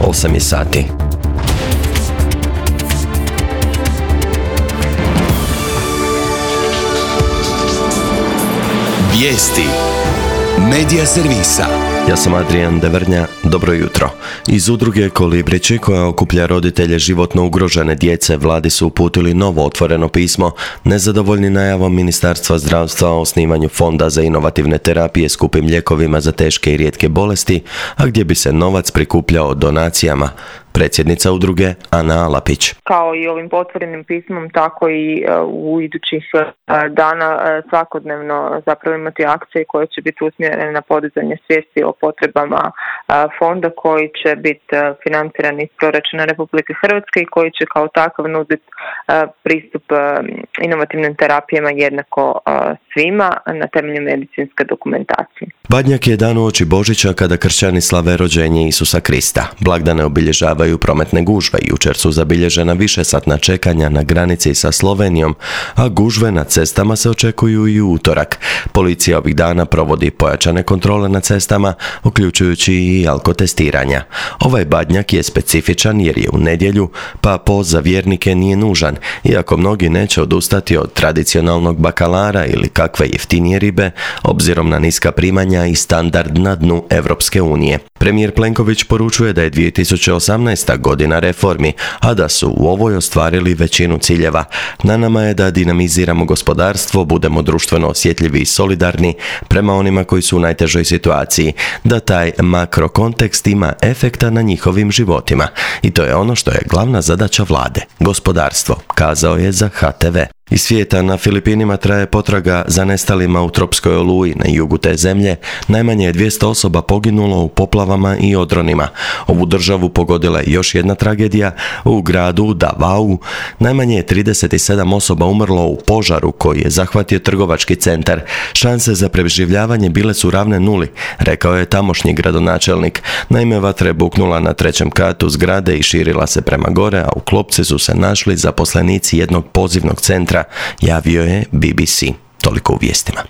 8 je sati. Vijesti Medija servisa. Ja sam Adrian Devrnja, dobro jutro. Iz udruge Kolibrići, koja okuplja roditelje životno ugrožene djece, vladi su uputili novo otvoreno pismo, nezadovoljni najavom Ministarstva zdravstva o osnivanju fonda za inovativne terapije skupim lijekovima za teške i rijetke bolesti, a gdje bi se novac prikupljao donacijama. Predsjednica udruge Ana Alapić. Kao i ovim otvorenim pismom, tako i u idućih dana svakodnevno zapravo imati akcije koje će biti usmjerene na podizanje svijesti o potrebama fonda koji će biti financiran iz proračuna Republike Hrvatske i koji će kao takav nuditi pristup inovativnim terapijama jednako svima na temelju medicinske dokumentacije. Badnjak je dan uoči Božića kada kršćani slave rođenje Isusa Krista. Blagdane obilježavaju prometne gužve. Jučer su zabilježena višesatna čekanja na granici sa Slovenijom, a gužve na cestama se očekuju i u utorak. Policija ovih dana provodi pojačane kontrole na cestama, uključujući i alkotestiranja. Ovaj Badnjak je specifičan jer je u nedjelju, pa post za vjernike nije nužan, iako mnogi neće odustati od tradicionalnog bakalara ili kakve jeftinije ribe, obzirom na niska primanja i standard na dnu Europske unije. Premijer Plenković poručuje da je 2018. godina reformi, a da su u ovoj ostvarili većinu ciljeva. Na nama je da dinamiziramo gospodarstvo, budemo društveno osjetljivi i solidarni prema onima koji su u najtežoj situaciji, da taj makrokontekst ima efekta na njihovim životima. I to je ono što je glavna zadaća vlade, gospodarstvo, kazao je za HTV. Iz svijeta na Filipinima traje potraga za nestalima u tropskoj oluji. Na jugu te zemlje najmanje je 200 osoba poginulo u poplavama i odronima. Ovu državu pogodila je još jedna tragedija. U gradu Davao najmanje je 37 osoba umrlo u požaru koji je zahvatio trgovački centar. Šanse za preživljavanje bile su ravne nuli, rekao je tamošnji gradonačelnik. Naime, vatra je buknula na 3. katu zgrade i širila se prema gore, a u klopci su se našli zaposlenici jednog pozivnog centra, javio je BBC. Toliko u vijestima.